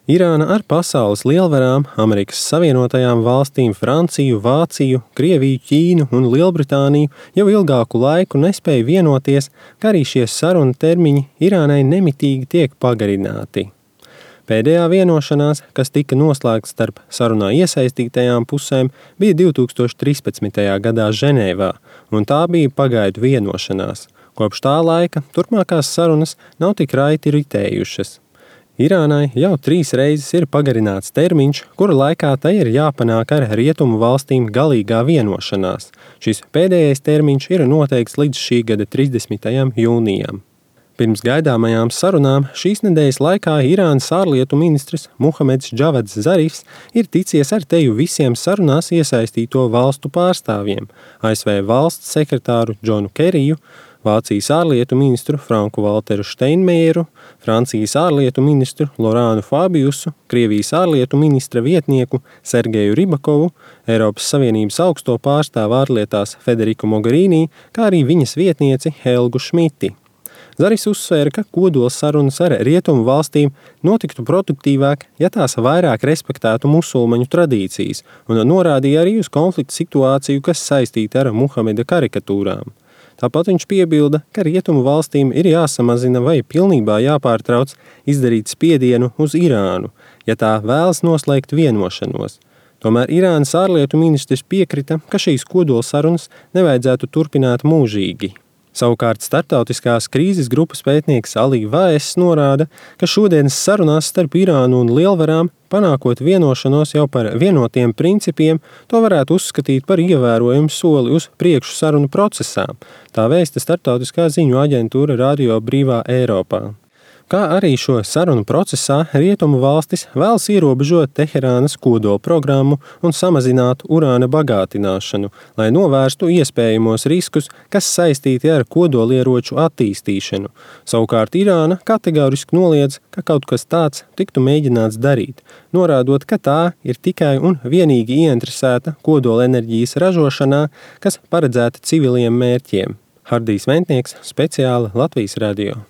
Irāna ar pasaules lielvarām, Amerikas Savienotajām valstīm, Franciju, Vāciju, Krieviju, Ķīnu un Lielbritāniju jau ilgāku laiku nespēja vienoties, ka arī šie sarunu termiņi Irānai nemitīgi tiek pagarināti. Pēdējā vienošanās, kas tika noslēgta starp sarunā iesaistītajām pusēm, bija 2013. gadā Ženēvā, un tā bija pagaidu vienošanās. Kopš tā laika turpmākās sarunas nav tik raiti ritējušas. Irānai jau 3 reizes ir pagarināts termiņš, kura laikā tai ir jāpanāk ar rietumu valstīm galīgā vienošanās. Šis pēdējais termiņš ir noteikts līdz šī gada 30. jūnijam. Pirms gaidāmajām sarunām šīs nedēļas laikā Irānas ārlietu ministrs Muhameds Džavads Zarifs ir ticies ar teju visiem sarunās iesaistīto valstu pārstāvjiem, ASV valsts sekretāru Džonu Keriju, Vācijas ārlietu ministru Franku Valteru Steinmeieru, Francijas ārlietu ministru Lorānu Fabiusu, Krievijas ārlietu ministra vietnieku Sergeju Ribakovu, Eiropas Savienības augsto pārstāvu ārlietās Federiku Mogherini, kā arī viņas vietnieci Helgu Šmiti. Zarifs uzsvēra, ka kodolsarunas ar rietumu valstīm notiktu produktīvāk, ja tās vairāk respektētu musulmaņu tradīcijas, un norādīja arī uz konflikta situāciju, kas saistīta ar Muhameda karikatūrām. Tāpat viņš piebilda, ka rietumu valstīm ir jāsamazina vai pilnībā jāpārtrauc izdarīt spiedienu uz Irānu, ja tā vēlas noslēgt vienošanos. Tomēr Irānas ārlietu ministrs piekrita, ka šīs kodolsarunas nevajadzētu turpināt mūžīgi. Savukārt starptautiskās krīzes grupas pētnieks Alī Vaess norāda, ka šodienas sarunās starp Irānu un lielvarām, panākot vienošanos jau par vienotiem principiem, to varētu uzskatīt par ievērojumu soli uz priekšu sarunu procesā, tā vēsta starptautiskā ziņu aģentūra Radio Brīvā Eiropā. Kā arī šo sarunu procesā rietumu valstis vēlas ierobežot Teherānas kodola programmu un samazināt urāna bagātināšanu, lai novērstu iespējamos riskus, kas saistīti ar kodolieroču attīstīšanu. Savukārt Irāna kategoriski noliedz, ka kaut kas tāds tiktu mēģināts darīt, norādot, ka tā ir tikai un vienīgi ieinteresēta kodolenerģijas ražošanā, kas paredzēta civiliem mērķiem. Hardijs Ventnieks, speciāli Latvijas radio.